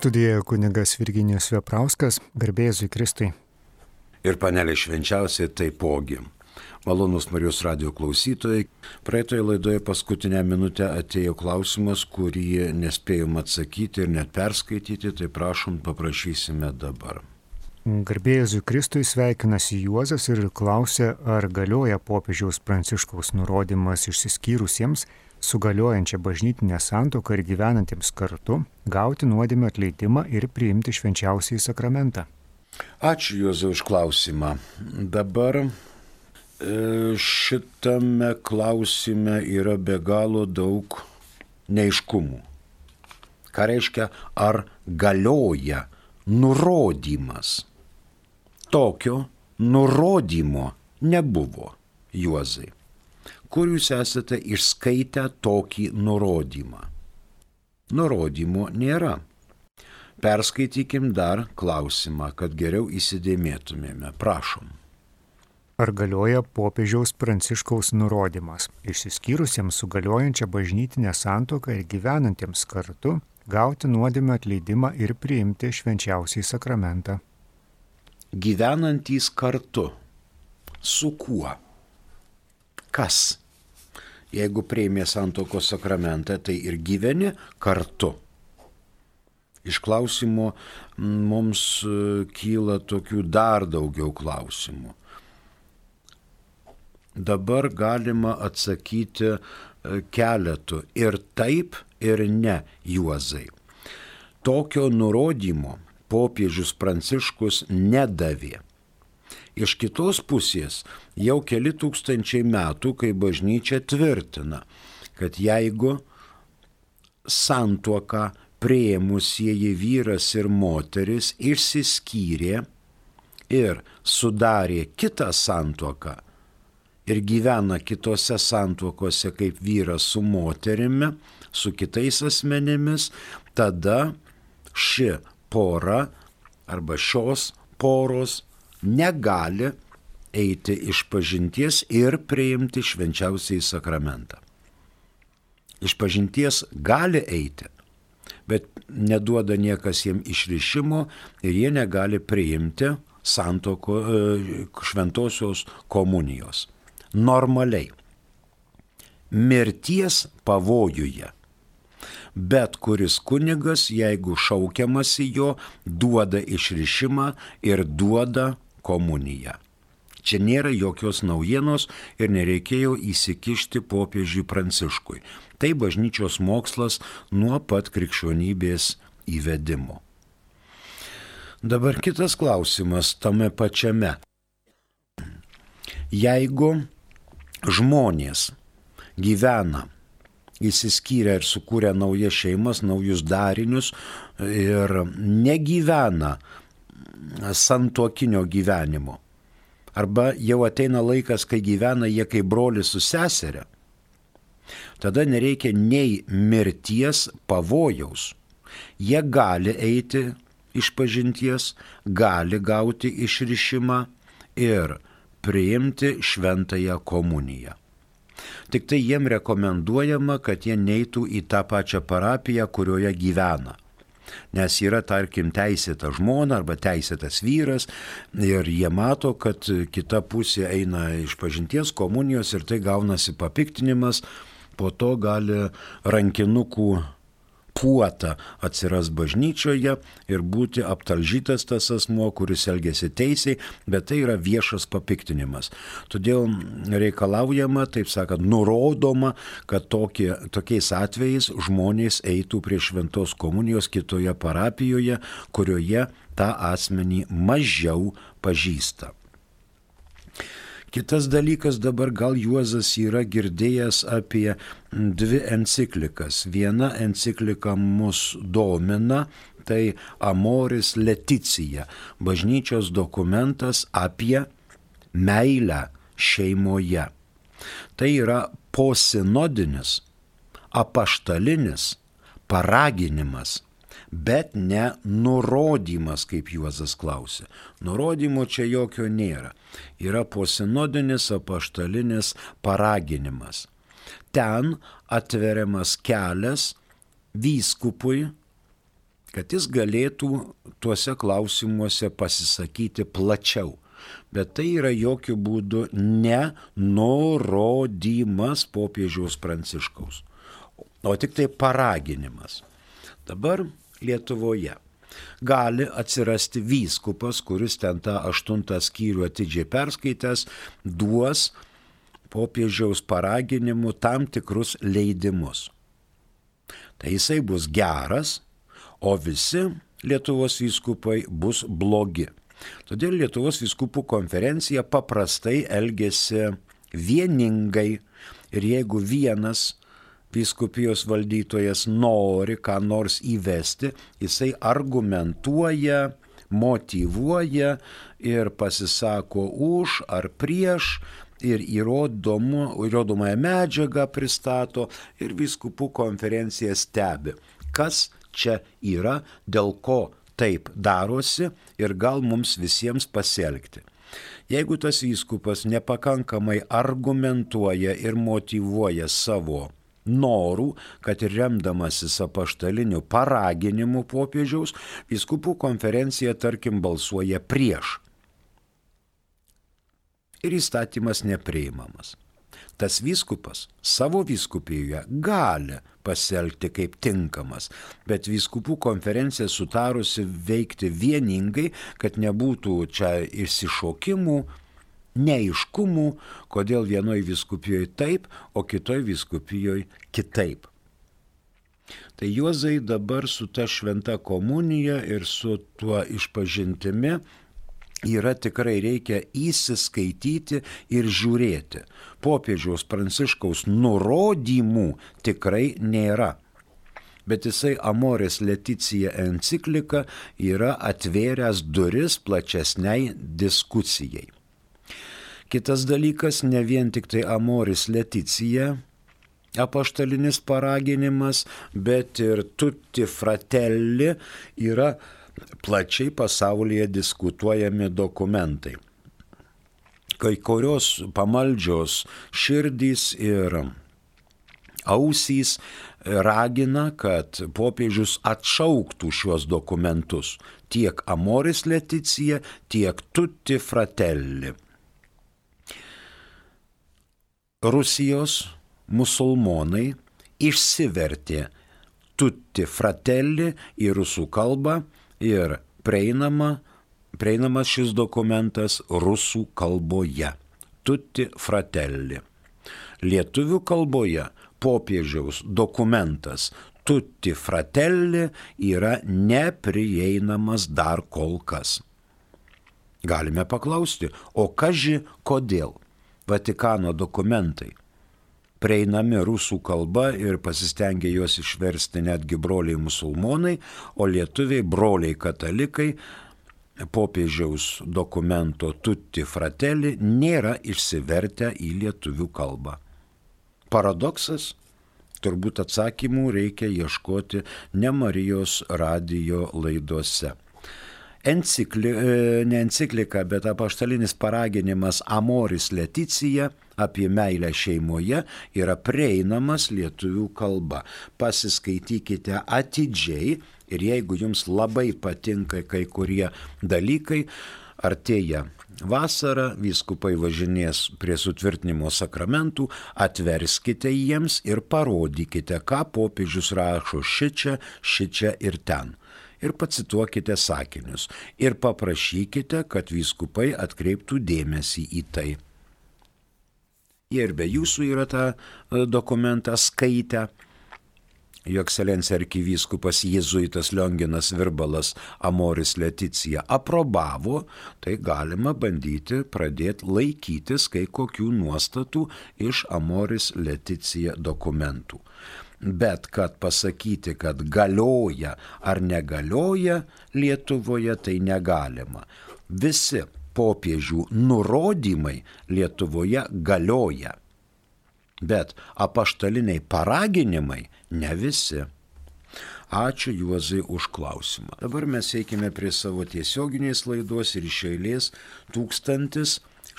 Studijoje kunigas Virginijus Veprauskas, garbė Jėzui Kristui. Ir panelė švenčiausiai taipogi. Malonus Marijos radijo klausytojai, praeitoje laidoje paskutinę minutę atėjo klausimas, kurį nespėjom atsakyti ir net perskaityti, tai prašom, paprašysime dabar. Garbė Jėzui Kristui, sveikinasi Juozas ir klausia, ar galioja popiežiaus Pranciškaus nurodymas išsiskyrusiems su galiojančia bažnytinė santuoka ir gyvenantiems kartu gauti nuodėmio atleidimą ir priimti švenčiausiąjį sakramentą. Ačiū Juozai už klausimą. Dabar šitame klausime yra be galo daug neaiškumų. Ką reiškia, ar galioja nurodymas? Tokio nurodymo nebuvo, Juozai. Kur jūs esate išskaitę tokį nurodymą? Nurodymo nėra. Perskaitykim dar klausimą, kad geriau įsidėmėtumėme. Prašom. Ar galioja popiežiaus Pranciškaus nurodymas išsiskyrusiems su galiojančia bažnytinė santuoka ir gyvenantiems kartu gauti nuodėmio atleidimą ir priimti švenčiausiąjį sakramentą? Gyvenantys kartu. Su kuo? Kas? Jeigu priėmė santuokos sakramentą, tai ir gyveni kartu. Iš klausimo mums kyla tokių dar daugiau klausimų. Dabar galima atsakyti keletu ir taip, ir ne, Juozai. Tokio nurodymo popiežius Pranciškus nedavė. Iš kitos pusės jau keli tūkstančiai metų, kai bažnyčia tvirtina, kad jeigu santuoką priėmusieji vyras ir moteris išsiskyrė ir sudarė kitą santuoką ir gyvena kitose santuokose kaip vyras su moterimi, su kitais asmenimis, tada ši pora arba šios poros negali eiti išpažinties ir priimti švenčiausiąjį sakramentą. Išpažinties gali eiti, bet neduoda niekas jiem išrišimo ir jie negali priimti šventosios komunijos. Normaliai. Mirties pavojuje. Bet kuris kunigas, jeigu šaukiamasi jo, duoda išrišimą ir duoda komuniją. Čia nėra jokios naujienos ir nereikėjo įsikišti popiežiui Pranciškui. Tai bažnyčios mokslas nuo pat krikščionybės įvedimo. Dabar kitas klausimas tame pačiame. Jeigu žmonės gyvena, įsiskyrę ir sukūrę naujas šeimas, naujus darinius ir negyvena santuokinio gyvenimo, arba jau ateina laikas, kai gyvena jie kaip brolis su seseria, tada nereikia nei mirties pavojaus. Jie gali eiti išpažinties, gali gauti išrišimą ir priimti šventąją komuniją. Tik tai jiem rekomenduojama, kad jie neitų į tą pačią parapiją, kurioje gyvena. Nes yra, tarkim, teisėta žmona arba teisėtas vyras ir jie mato, kad kita pusė eina išpažinties komunijos ir tai gaunasi papiktinimas, po to gali rankinukų puota atsiras bažnyčioje ir būti aptalžytas tas asmuo, kuris elgėsi teisiai, bet tai yra viešas papiktinimas. Todėl reikalaujama, taip sakant, nurodoma, kad tokiais atvejais žmonės eitų prie šventos komunijos kitoje parapijoje, kurioje tą asmenį mažiau pažįsta. Kitas dalykas, dabar gal Juozas yra girdėjęs apie dvi enciklikas. Viena enciklika mus domina, tai Amoris Laetitia, bažnyčios dokumentas apie meilę šeimoje. Tai yra posinodinis, apaštalinis paraginimas, bet ne nurodymas, kaip Juozas klausė. Nurodymo čia jokio nėra. Yra posinodinis apaštalinis paraginimas. Ten atveriamas kelias vyskupui kad jis galėtų tuose klausimuose pasisakyti plačiau. Bet tai yra jokių būdų ne nurodymas popiežiaus Pranciškaus, o tik tai paraginimas. Dabar Lietuvoje gali atsirasti vyskupas, kuris ten tą 8 skyrių atidžiai perskaitęs, duos popiežiaus paraginimu tam tikrus leidimus. Tai jisai bus geras, o visi Lietuvos vyskupai bus blogi. Todėl Lietuvos vyskupų konferencija paprastai elgėsi vieningai ir jeigu vienas vyskupijos valdytojas nori ką nors įvesti, jisai argumentuoja, motyvuoja ir pasisako už ar prieš ir įrodomąją medžiagą pristato ir vyskupų konferencija stebi, kas čia yra, dėl ko taip darosi ir gal mums visiems pasielgti. Jeigu tas vyskupas nepakankamai argumentuoja ir motyvuoja savo norų, kad ir remdamasis apaštaliniu paraginimu popiežiaus, vyskupų konferencija, tarkim, balsuoja prieš. Ir įstatymas nepriimamas. Tas vyskupas savo vyskupijoje gali pasielgti kaip tinkamas, bet vyskupų konferencija sutarusi veikti vieningai, kad nebūtų čia išsišokimų, neaiškumų, kodėl vienoj vyskupijoje taip, o kitoj vyskupijoje kitaip. Tai Juozai dabar su ta šventa komunija ir su tuo išpažintimi yra tikrai reikia įsiskaityti ir žiūrėti. Popiežiaus Pranciškaus nurodymų tikrai nėra. Bet jisai Amoris Laetitia enciklika yra atvėręs duris plačesniai diskusijai. Kitas dalykas, ne vien tik tai Amoris Laetitia apaštalinis paraginimas, bet ir Tutti Fratelli yra plačiai pasaulyje diskutuojami dokumentai. Kai kurios pamaldžios širdys ir ausys ragina, kad popiežius atšauktų šiuos dokumentus, tiek Amoris Laetitia, tiek Tutti Fratelli. Rusijos musulmonai išsivertė Tutti Fratelli į rusų kalbą ir prieinamas šis dokumentas rusų kalboje. Tutti Fratelli. Lietuvių kalboje popiežiaus dokumentas Tutti Fratelli yra neprieinamas dar kol kas. Galime paklausti, o kaži kodėl Vatikano dokumentai prieinami rusų kalba ir pasistengė juos išversti netgi broliai musulmonai, o lietuviai broliai katalikai popiežiaus dokumento Tutti Fratelli nėra išsivertę į lietuvių kalbą. Paradoksas? Turbūt atsakymų reikia ieškoti ne Marijos radijo laidose. Ne enciklika, bet apaštalinis paraginimas Amoris Laetitia apie meilę šeimoje yra prieinamas lietuvių kalba. Pasiskaitykite atidžiai ir jeigu jums labai patinka kai kurie dalykai, artėja vasara, vyskupai važinės prie sutvirtinimo sakramentų, atverskite jiems ir parodykite, ką popiežius rašo šičia ir ten. Ir pacituokite sakinius ir paprašykite, kad vyskupai atkreiptų dėmesį į tai. Jie ir be jūsų yra tą dokumentą skaitę. Jo ekscelencija arkivyskupas jėzuitas Lionginas Virbalas Amoris Laetitia aprobavo, tai galima bandyti pradėti laikytis kai kokių nuostatų iš Amoris Laetitia dokumentų. Bet kad pasakyti, kad galioja ar negalioja Lietuvoje, tai negalima. Visi popiežių nurodymai Lietuvoje galioja, bet apaštaliniai paraginimai ne visi. Ačiū Juozai už klausimą. Dabar mes eikime prie savo tiesioginės laidos ir iš eilės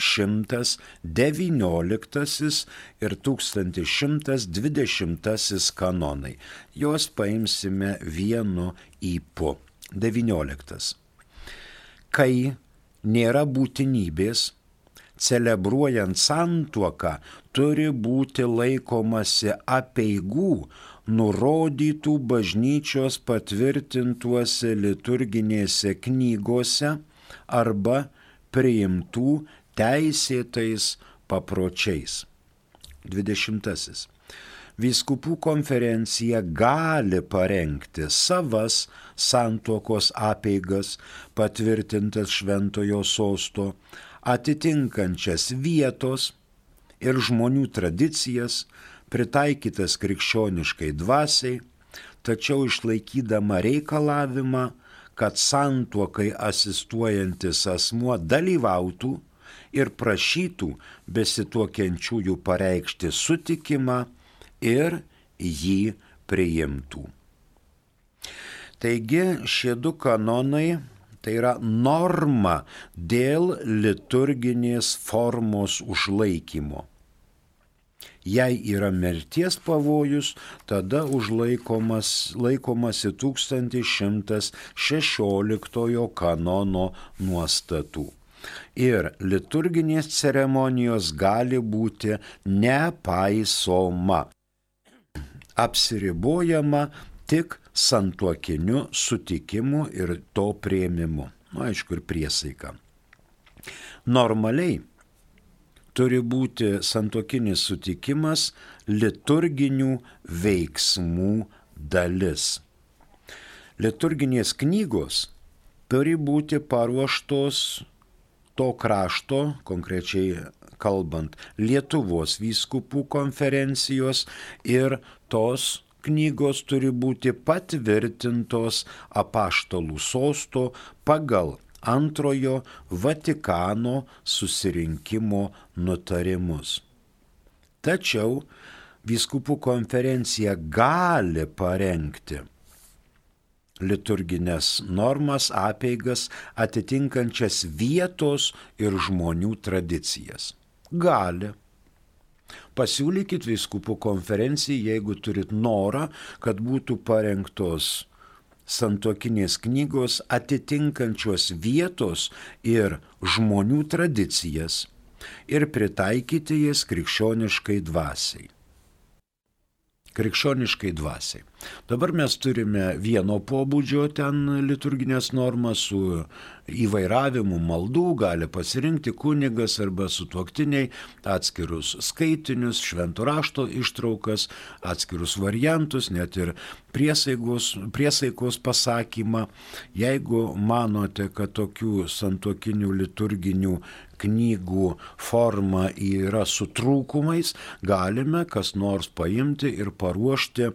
1119 ir 1120 kanonai. Juos paimsime vienu ypu. 19. Kai nėra būtinybės, celebruojant santuoką turi būti laikomasi apeigų nurodytų bažnyčios patvirtintuose liturginėse knygose arba priimtų teisėtais papročiais. 20. Vyskupų konferencija gali parengti savas santuokos apeigas patvirtintas šventojo sosto, atitinkančias vietos ir žmonių tradicijas, pritaikytas krikščioniškai dvasiai, tačiau išlaikydama reikalavimą, kad santuokai asistuojantis asmuo dalyvautų ir prašytų besituokiančiųjų pareikšti sutikimą ir jį priimtų. Taigi šie du kanonai tai yra norma dėl liturginės formos užlaikymo. Jei yra mirties pavojus, tada laikomasi 1116 kanono nuostatų. Ir liturginės ceremonijos gali būti nepaisoma, apsiribojama tik santuokiniu sutikimu ir to priėmimu. Aišku, ir priesaika. Normaliai turi būti santuokinis sutikimas liturginių veiksmų dalis. Liturginės knygos turi būti paruoštos to krašto, konkrečiai kalbant, Lietuvos vyskupų konferencijos, ir tos knygos turi būti patvirtintos apaštalų sosto pagal Antrojo Vatikano susirinkimo nutarimus. Tačiau vyskupų konferencija gali parengti liturginės normas, apeigas atitinkančias vietos ir žmonių tradicijas. Gali. Pasiūlykit vyskupų konferencijai, jeigu turit norą, kad būtų parengtos santuokinės knygos atitinkančios vietos ir žmonių tradicijas ir pritaikyti jas krikščioniškai dvasiai. Krikščioniškai dvasiai. Dabar mes turime vieno pobūdžio ten liturginės normas su įvairavimu maldų, gali pasirinkti kunigas arba sutuoktiniai atskirus skaitinius, švento rašto ištraukas, atskirus variantus, net ir priesaikos pasakymą. Jeigu manote, kad tokių santuokinių liturginių knygų forma yra su trūkumais, galime kas nors paimti ir paruošti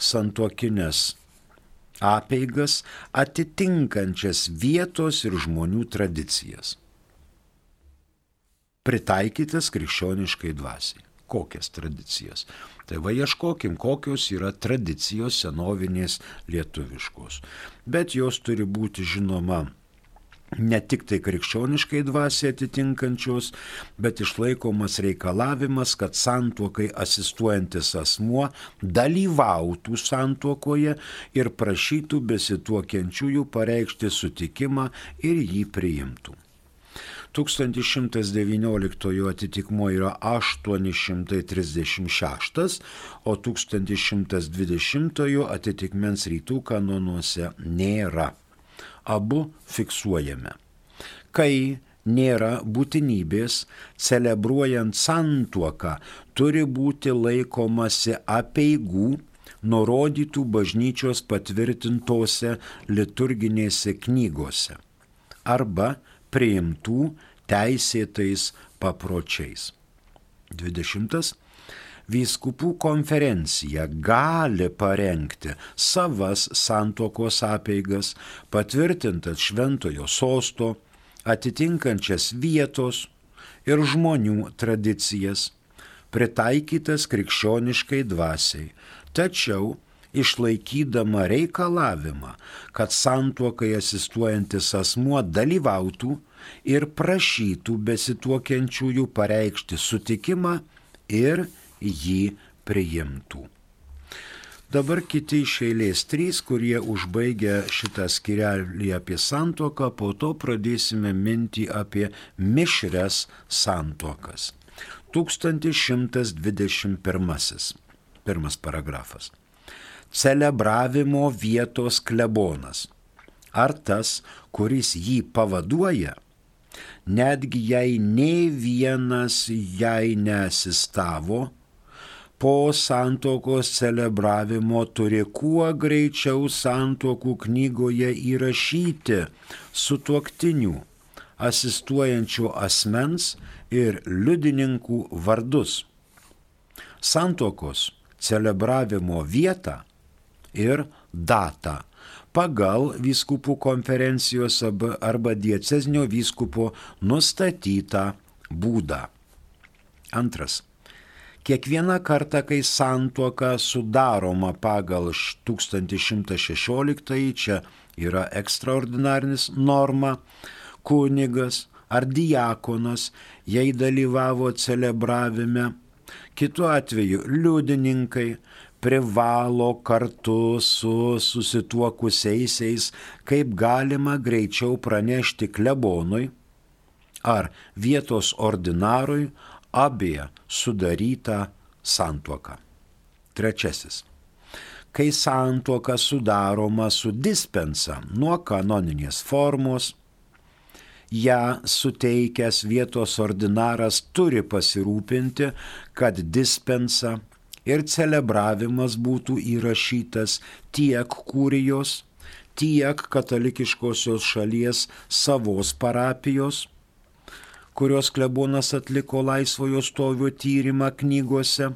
santuokinės apeigas atitinkančias vietos ir žmonių tradicijas. Pritaikytas krikščioniškai dvasiai. Kokias tradicijas? Tai va ieškokim, kokios yra tradicijos senovinės lietuviškos. Bet jos turi būti žinoma ne tik tai krikščioniškai dvasiai atitinkančios, bet išlaikomas reikalavimas, kad santuokai asistuojantis asmuo dalyvautų santuokoje ir prašytų besituokiančiųjų pareikšti sutikimą ir jį priimtų. 1119 atitikmuo yra 836, o 1120 atitikmens rytų kanonuose nėra. Abu fiksuojame. Kai nėra būtinybės, celebruojant santuoką turi būti laikomasi apeigų nurodytų bažnyčios patvirtintose liturginėse knygose arba priimtų teisėtais papročiais. 20. Vyskupų konferencija gali parengti savas santuokos apeigas, patvirtintas šventojo sosto, atitinkančias vietos ir žmonių tradicijas, pritaikytas krikščioniškai dvasiai, tačiau išlaikydama reikalavimą, kad santuokai asistuojantis asmuo dalyvautų ir prašytų besituokiančiųjų pareikšti sutikimą ir jį priimtų. Dabar kiti iš eilės 3, kurie užbaigia šitą skyrelį apie santuoką, po to pradėsime mintį apie mišrias santuokas. 1121. Pirmas paragrafas. Celebravimo vietos klebonas. Ar tas, kuris jį pavaduoja, netgi jei nei vienas jai neasistavo, po santuokos celebravimo turi kuo greičiau santuokų knygoje įrašyti sutuoktinių, asistuojančių asmens ir liudininkų vardus, santuokos celebravimo vietą ir datą pagal vyskupų konferencijos arba diecezinio vyskupo nustatytą būdą. Antras. Kiekvieną kartą, kai santuoka sudaroma pagal 1116, čia yra ekstraordinarinis norma, kunigas ar diakonas, jei dalyvavo celebravime, kitu atveju liudininkai privalo kartu su susituokusiaisiais kaip galima greičiau pranešti klebonui ar vietos ordinarui apie sudarytą santuoką. Trečiasis. Kai santuoka sudaroma su dispensa nuo kanoninės formos, ją suteikęs vietos ordinaras turi pasirūpinti, kad dispensa ir celebravimas būtų įrašytas tiek kurijos, tiek katalikiškosios šalies savos parapijos, kurios klebonas atliko laisvojo stovio tyrimą knygose.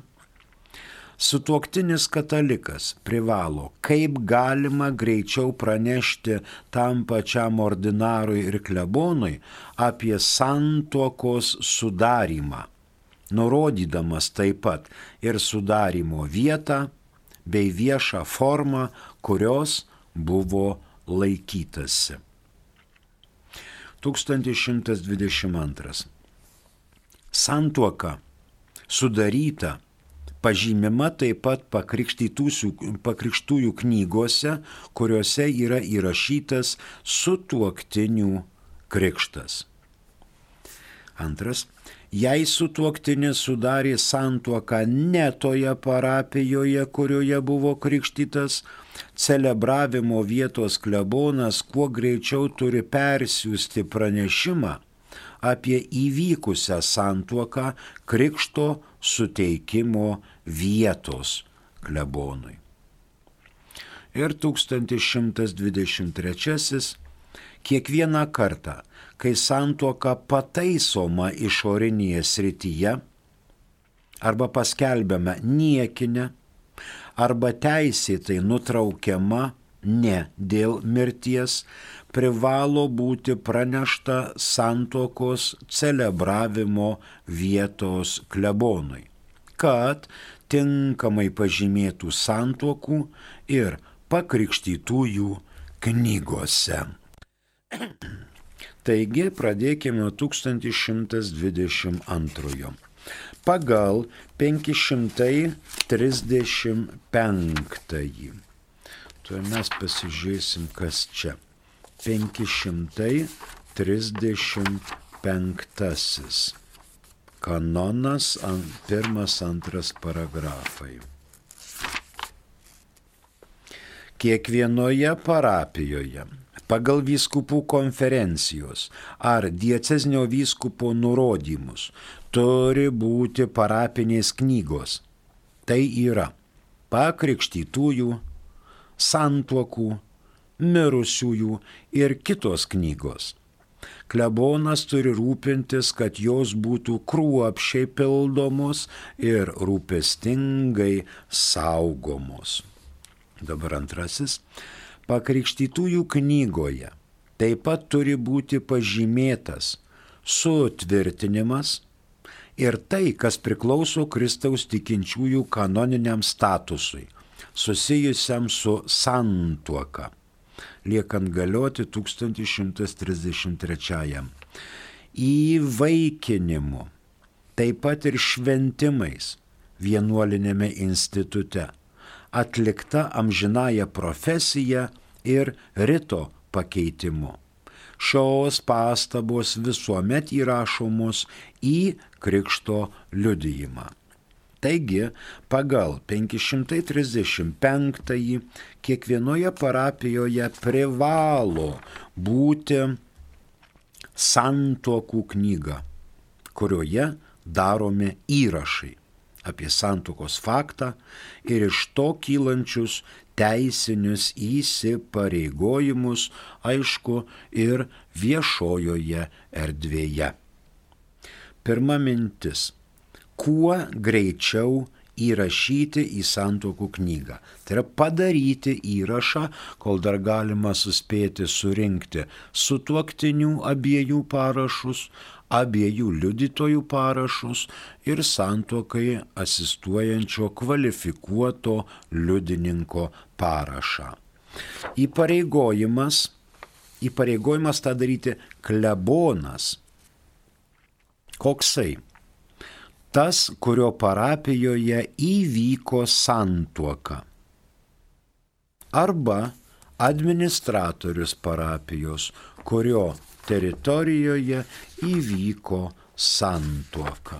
Sutuoktinis katalikas privalo kaip galima greičiau pranešti tam pačiam ordinarui ir klebonui apie santuokos sudarymą, nurodydamas taip pat ir sudarymo vietą bei viešą formą, kurios buvo laikytasi. 1122. Santuoka sudaryta pažymima taip pat pakrikštųjų knygose, kuriuose yra įrašytas sutuoktinių krikštas. Antras. Jei sutuoktinis sudarė santuoką ne toje parapijoje, kurioje buvo krikštytas, celebravimo vietos klebonas kuo greičiau turi persiųsti pranešimą apie įvykusią santuoką krikšto suteikimo vietos klebonui. Ir 1123. Kiekvieną kartą, kai santuoka pataisoma išorinėje srityje, arba paskelbiama niekinė, arba teisėtai nutraukiama ne dėl mirties, privalo būti pranešta santuokos celebravimo vietos klebonui, kad tinkamai pažymėtų santuokų ir pakrikštytųjų knygose. Taigi pradėkime 1122. Pagal 535. Tuo mes pasižiūrėsim, kas čia. 535. Kanonas, 1-2 paragrafai. Kiekvienoje parapijoje pagal vyskupų konferencijos ar diecezinio vyskupo nurodymus turi būti parapinės knygos. Tai yra pakrikštytųjų, santuokų, mirusiųjų ir kitos knygos. Klebonas turi rūpintis, kad jos būtų kruopščiai pildomos ir rūpestingai saugomos. Dabar antrasis. Pakrikštytųjų knygoje taip pat turi būti pažymėtas sutvirtinimas ir tai, kas priklauso Kristaus tikinčiųjų kanoniniam statusui. susijusiam su santuoka, liekant galioti 1133. Įvaikinimu, taip pat ir šventimais vienuolinėme institute, atlikta amžinąja profesija ir rito pakeitimu. Šios pastabos visuomet įrašomos į krikšto liudijimą. Taigi, pagal 535 kiekvienoje parapijoje privalo būti santuokų knyga, kurioje daromi įrašai apie santuokos faktą ir iš to kylančius teisinius įsipareigojimus, aišku, ir viešojoje erdvėje. Pirma mintis. Kuo greičiau įrašyti į santuokų knygą. Tai yra padaryti įrašą, kol dar galima suspėti surinkti sutuoktinių abiejų parašus, abiejų liudytojų parašus ir santuokai asistuojančio kvalifikuoto liudininko parašą. Įpareigojimas tą daryti klebonas. Koksai? Tas, kurio parapijoje įvyko santuoka. Arba administratorius parapijos, kurio teritorijoje įvyko santuoka.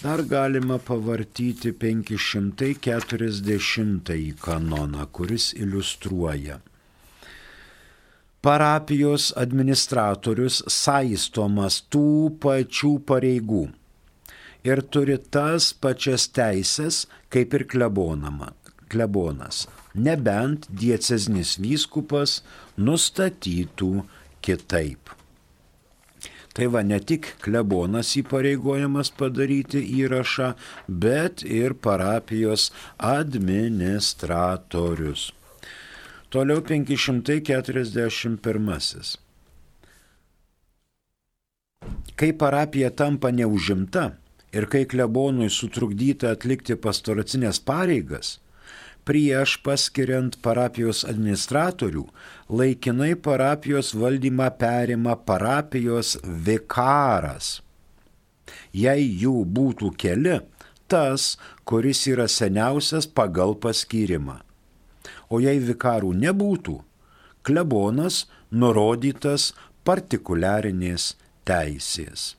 Dar galima pavartyti 540 kanoną, kuris iliustruoja. Parapijos administratorius saistomas tų pačių pareigų ir turi tas pačias teises kaip ir klebonas, nebent dieceznis vyskupas nustatytų kitaip. Tai va, ne tik klebonas įpareigojamas padaryti įrašą, bet ir parapijos administratorius. Toliau 541. Kai parapija tampa neužimta ir kai klebonui sutrukdyta atlikti pastoracinės pareigas, prieš paskiriant parapijos administratorių, laikinai parapijos valdymą perima parapijos vikaras. Jei jų būtų keli, tas, kuris yra seniausias pagal paskyrimą. O jei vikarų nebūtų, klebonas nurodytas partikuliarinės teisės.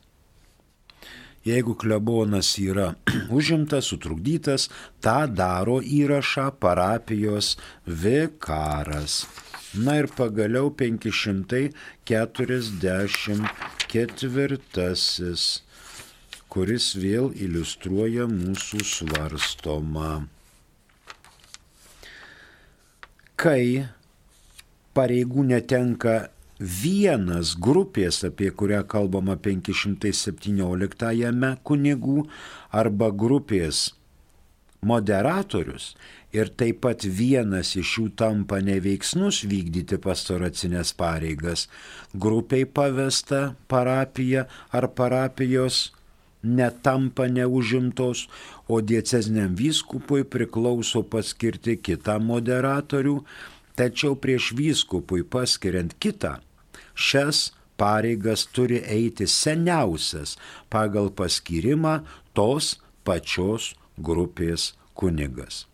Jeigu klebonas yra užimtas, sutrukdytas, tą daro įrašą parapijos vikaras. Na ir pagaliau 544, kuris vėl iliustruoja mūsų svarstomą. Kai pareigų netenka vienas grupės, apie kurią kalbama 517 kunigų, arba grupės moderatorius, ir taip pat vienas iš jų tampa neveiksnus vykdyti pastoracinės pareigas, grupiai pavesta parapija ar parapijos netampa neužimtos, o dieceziniam vyskupui priklauso paskirti kitą moderatorių, tačiau prieš vyskupui paskiriant kitą, šias pareigas turi eiti seniausias pagal paskyrimą tos pačios grupės kunigas.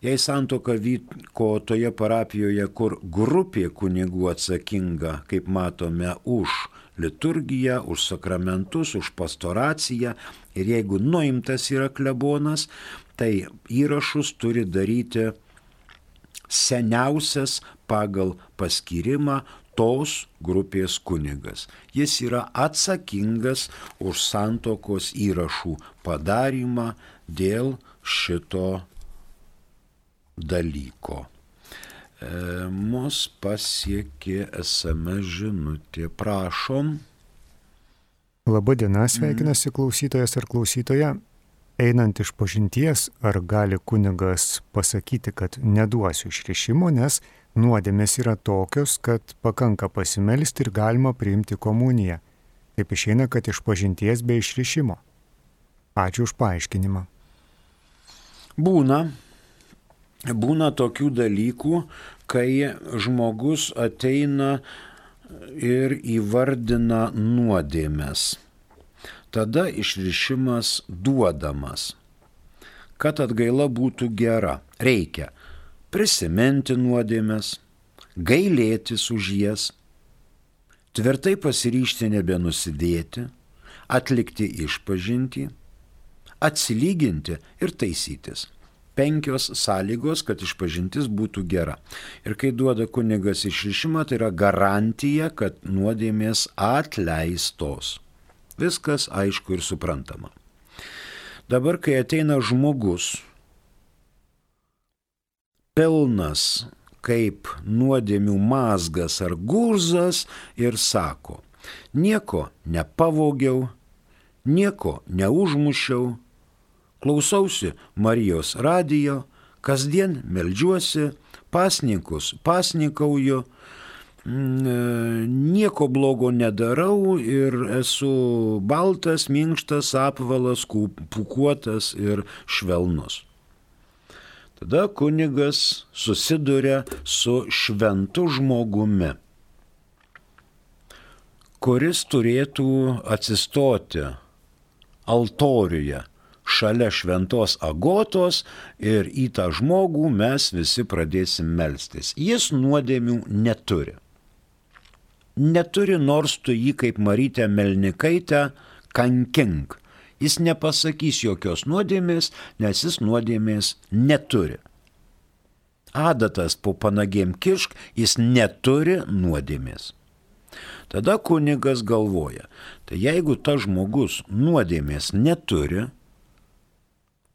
Jei santuoka vyko toje parapijoje, kur grupė kunigų atsakinga, kaip matome, už liturgiją, už sakramentus, už pastoraciją, ir jeigu nuimtas yra klebonas, tai įrašus turi daryti seniausias pagal paskyrimą tos grupės kunigas. Jis yra atsakingas už santuokos įrašų padarymą dėl šito dalyko. Mus pasiekė SMS žinutė. Prašom. Labadiena, sveikinasi klausytojas ar klausytoja. Einant iš pažinties, ar gali kunigas pasakyti, kad neduosiu išrišimo, nes nuodėmės yra tokios, kad pakanka pasimelsti ir galima priimti komuniją. Taip išeina, kad iš pažinties be išrišimo. Ačiū už paaiškinimą. Būna. būna tokių dalykų, kai žmogus ateina ir įvardina nuodėmes. Tada išrišimas duodamas. Kad atgaila būtų gera, reikia prisiminti nuodėmes, gailėtis už jas, tvirtai pasiryžti nebenusidėti, atlikti išpažintį, atsilyginti ir taisytis. 5 sąlygos, kad išpažintis būtų gera. Ir kai duoda kunigas išrišimą, tai yra garantija, kad nuodėmės atleistos. Viskas aišku ir suprantama. Dabar, kai ateina žmogus, pilnas kaip nuodėmių mazgas ar gurzas ir sako, nieko nepavogiau, nieko neužmušiau, klausausi Marijos radijo, kasdien meldžiuosi, pasninkus pasninkauju, nieko blogo nedarau ir esu baltas, minkštas, apvalas, pūkuotas ir švelnus. Tada kunigas susiduria su šventu žmogumi, kuris turėtų atsistoti altoriuje šalia šventos agotos ir į tą žmogų mes visi pradėsim melstis. Jis nuodėmių neturi. Neturi, nors tu jį kaip Marytę Melnikaitę kankink. Jis nepasakys jokios nuodėmės, nes jis nuodėmės neturi. Adatas po panagėm kišk, jis neturi nuodėmės. Tada kunigas galvoja, tai jeigu tas žmogus nuodėmės neturi,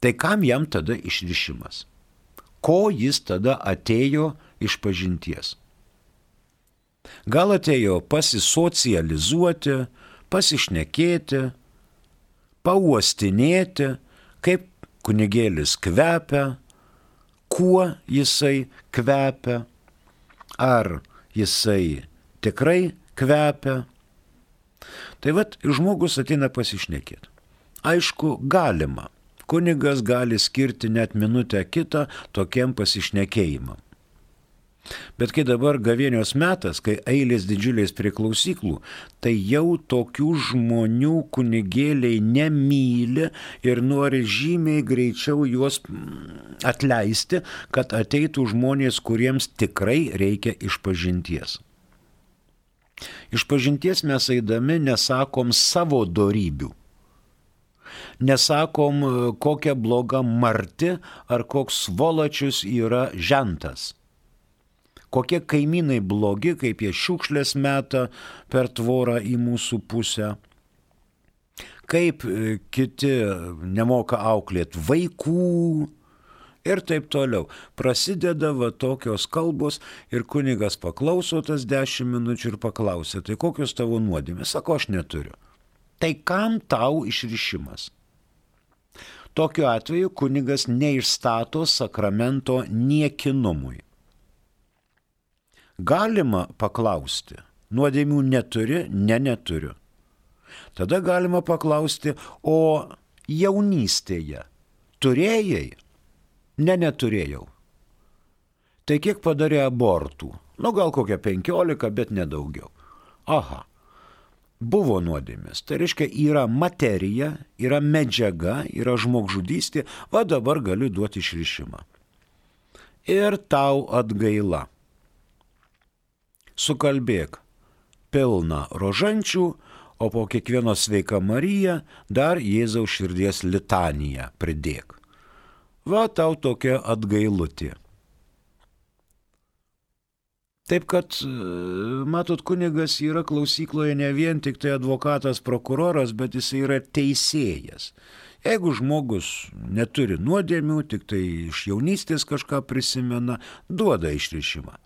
tai kam jam tada išrišimas? Ko jis tada atėjo išpažinties? Gal atėjo pasisocializuoti, pasišnekėti, pauostinėti, kaip kunigėlis kvepia, kuo jisai kvepia, ar jisai tikrai kvepia. Tai vat žmogus ateina pasišnekėti. Aišku, galima. Kunigas gali skirti net minutę kitą tokiam pasišnekėjimam. Bet kai dabar gavėnios metas, kai eilės didžiulės prie klausyklų, tai jau tokių žmonių kunigėliai nemyli ir nori žymiai greičiau juos atleisti, kad ateitų žmonės, kuriems tikrai reikia išpažinties. Išpažinties mes eidami nesakom savo dorybių. Nesakom, kokia bloga marti ar koks svolačius yra žentas. Kokie kaimynai blogi, kaip jie šiukšlės meta per tvorą į mūsų pusę. Kaip kiti nemoka auklėti vaikų ir taip toliau. Prasideda va tokios kalbos ir kunigas paklauso tas 10 minučių ir paklausia, tai kokios tavo nuodėmės? Sako, aš neturiu. Tai kam tau išrišimas? Tokiu atveju kunigas neišstato sakramento niekinumui. Galima paklausti, nuodėmių neturi, neturiu. Tada galima paklausti, o jaunystėje turėjai? Neturėjau. Tai kiek padarė abortų? Gal kokią 15, bet nedaugiau. Aha. Buvo nuodėmės. Tai reiškia, yra materija, yra medžiaga, yra žmogžudystė, va dabar galiu duoti išrišimą. Ir tau atgaila. Sukalbėk pilną rožančių, o po kiekvieno sveika Marija dar Jėzaus širdies litaniją pridėk. Va tau tokia atgailutė. Taip kad, matot, kunigas yra klausykloje ne vien tik tai advokatas, prokuroras, bet jis yra teisėjas. Jeigu žmogus neturi nuodėmių, tik tai iš jaunystės kažką prisimena, duoda išrišimą.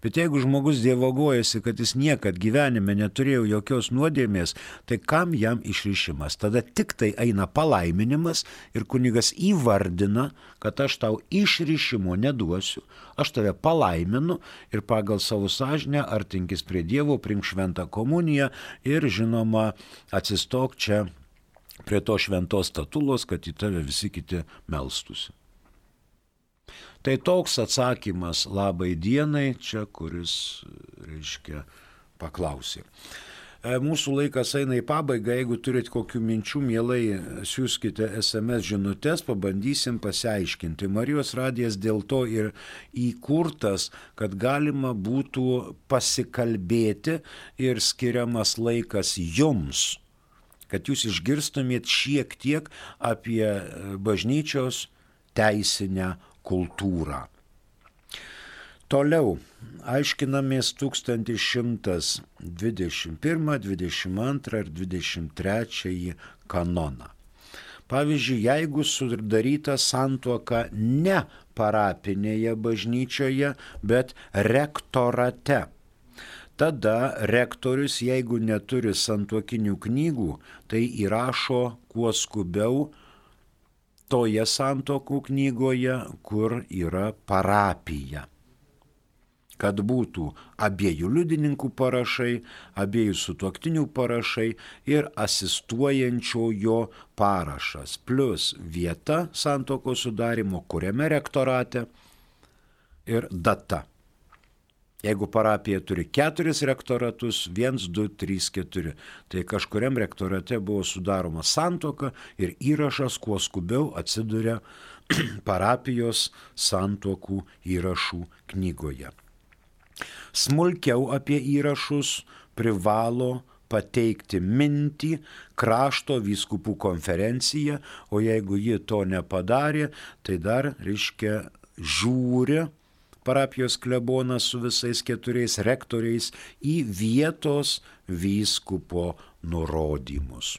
Bet jeigu žmogus dievagojasi, kad jis niekad gyvenime neturėjo jokios nuodėmės, tai kam jam išrišimas? Tada tik tai eina palaiminimas ir kunigas įvardina, kad aš tau išrišimo neduosiu, aš tave palaiminu ir pagal savo sąžinę artinkis prie Dievo, priimk šventą komuniją ir, žinoma, atsistok čia prie to šventos statulos, kad į tave visi kiti melstųsi. Tai toks atsakymas labai dienai čia, kuris, reiškia, paklausė. Mūsų laikas eina į pabaigą, jeigu turit kokių minčių, mielai siūskite SMS žinutės, pabandysim pasiaiškinti. Marijos radijas dėl to ir įkurtas, kad galima būtų pasikalbėti ir skiriamas laikas jums, kad jūs išgirstumėt šiek tiek apie bažnyčios teisinę kultūrą. Toliau aiškinamės 1121, 22 ir 23 kanoną. Pavyzdžiui, jeigu sudaryta santuoka ne parapinėje bažnyčioje, bet rektorate, tada rektorius, jeigu neturi santuokinių knygų, tai įrašo kuo skubiau toje santuokų knygoje, kur yra parapija, kad būtų abiejų liudininkų parašai, abiejų sutuoktinių parašai ir asistuojančiojo parašas, plus vieta santuokos sudarimo, kuriame rektorate ir data. Jeigu parapija turi 4 rektoratus, 1, 2, 3, 4, tai kažkuriam rektorate buvo sudaroma santuoka ir įrašas kuo skubiau atsiduria parapijos santuokų įrašų knygoje. Smulkiau apie įrašus privalo pateikti mintį krašto vyskupų konferencija, o jeigu ji to nepadarė, tai dar, reiškia, žiūri parapijos klebonas su visais 4 rektoriais į vietos vyskupo nurodymus.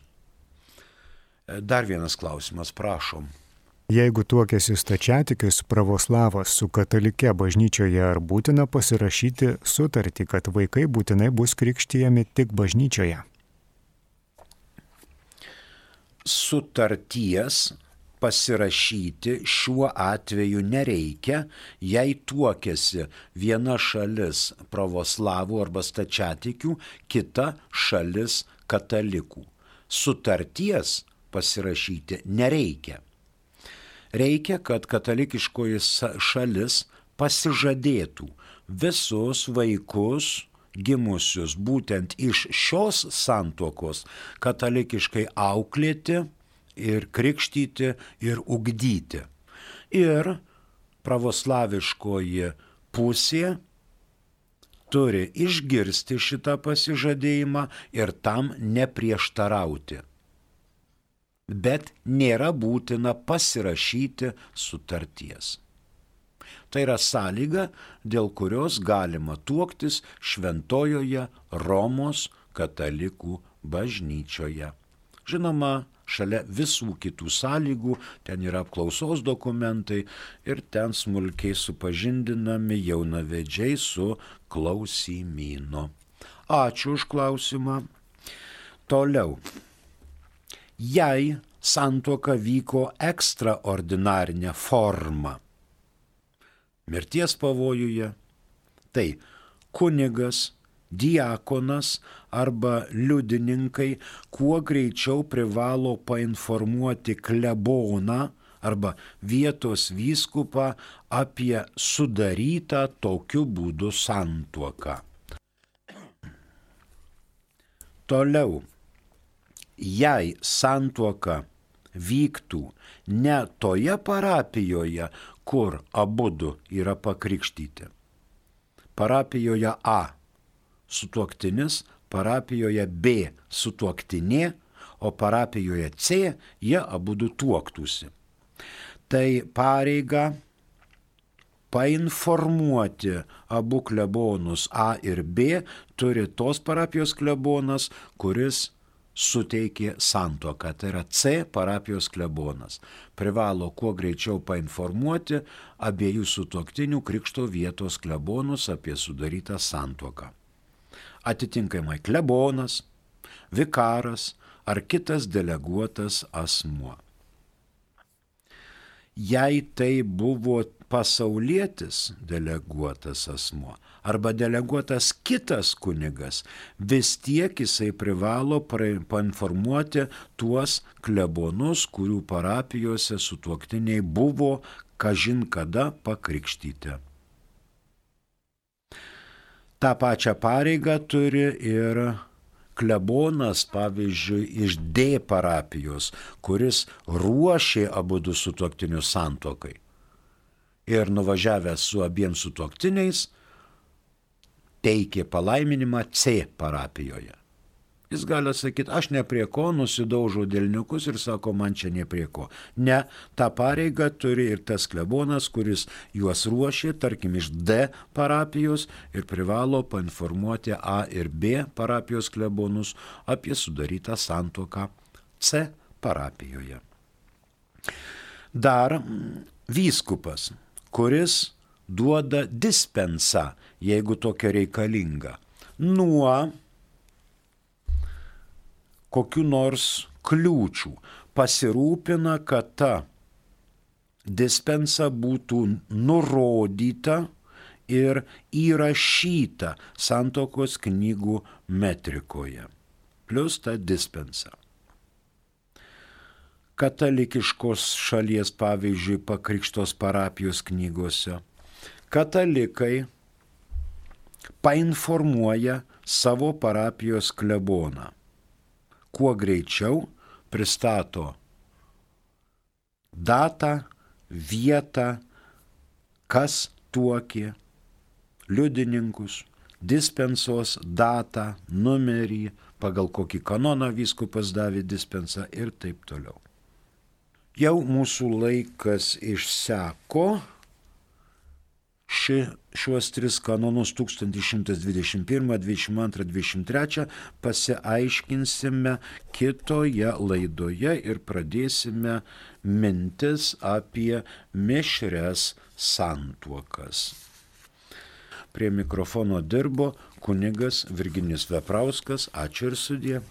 Dar vienas klausimas, prašom. Jeigu tuokiasi stačiatikis pravoslavas su katalike bažnyčioje, ar būtina pasirašyti sutartį, kad vaikai būtinai bus krikštijami tik bažnyčioje? Sutarties pasirašyti šiuo atveju nereikia, jei tuokiasi viena šalis pravoslavų arba stačiatikių, kita šalis katalikų. Sutarties pasirašyti nereikia. Reikia, kad katalikiškoji šalis pasižadėtų visus vaikus gimusius būtent iš šios santuokos katalikiškai auklėti ir krikštyti ir ugdyti. Ir pravoslaviškoji pusė turi išgirsti šitą pasižadėjimą ir tam neprieštarauti. Bet nėra būtina pasirašyti sutarties. Tai yra sąlyga, dėl kurios galima tuoktis Šventojoje Romos katalikų bažnyčioje. Žinoma, šalia visų kitų sąlygų, ten yra apklausos dokumentai ir ten smulkiai supažindinami jaunavedžiai su klausimynu. Ačiū už klausimą. Toliau. Jei santuoka vyko ekstraordinarinė forma, mirties pavojuje, tai kunigas, diakonas arba liudininkai kuo greičiau privalo painformuoti kleboną arba vietos vyskupą apie sudarytą tokiu būdu santuoką. Toliau. Jei santuoka vyktų ne toje parapijoje, kur abudu yra pakrikštyti. Parapijoje A sutuoktinis, parapijoje B sutuoktinė, o parapijoje C jie abudu tuoktųsi. Tai pareiga painformuoti abu klebonus A ir B turi tos parapijos klebonas, kuris suteikė santuoką, tai yra C parapijos klebonas. Privalo kuo greičiau painformuoti abiejų sutuoktinių krikšto vietos klebonus apie sudarytą santuoką. Atitinkamai klebonas, vikaras ar kitas deleguotas asmuo. Jei tai buvo pasaulietis deleguotas asmuo arba deleguotas kitas kunigas, vis tiek jisai privalo painformuoti tuos klebonus, kurių parapijose sutuoktiniai buvo kažin kada pakrikštyti. Ta pačią pareigą turi ir klebonas, pavyzdžiui, iš D parapijos, kuris ruošė abudu sutuoktinius santuokai. Ir nuvažiavęs su abiem sutuoktiniais, teikė palaiminimą C parapijoje. Jis gali sakyti, aš ne prie ko, nusidaužau delniukus ir sako, man čia ne prie ko. Ne, tą pareigą turi ir tas klebonas, kuris juos ruošė, tarkim, iš D parapijos ir privalo painformuoti A ir B parapijos klebonus apie sudarytą santuoką C parapijoje. Dar vyskupas, kuris duoda dispensą, jeigu tokia reikalinga, nuo kokių nors kliūčių, pasirūpina, kad ta dispensa būtų nurodyta ir įrašyta santuokos knygų metrikoje. Plius ta dispensa. Katalikiškos šalies, pavyzdžiui, pakrikštos parapijos knygose, katalikai painformuoja savo parapijos kleboną. Kuo greičiau pristato datą, vietą, kas tuokė, liudininkus, dispensos datą, numerį, pagal kokį kanoną vyskupas davė dispensą ir taip toliau. Jau mūsų laikas išseko. Šiuos 3 kanonus 1121, 22, 23 pasiaiškinsime kitoje laidoje ir pradėsime mintis apie mišrias santuokas. Prie mikrofono dirbo kunigas Virginijus Veprauskas. Ačiū ir sudie.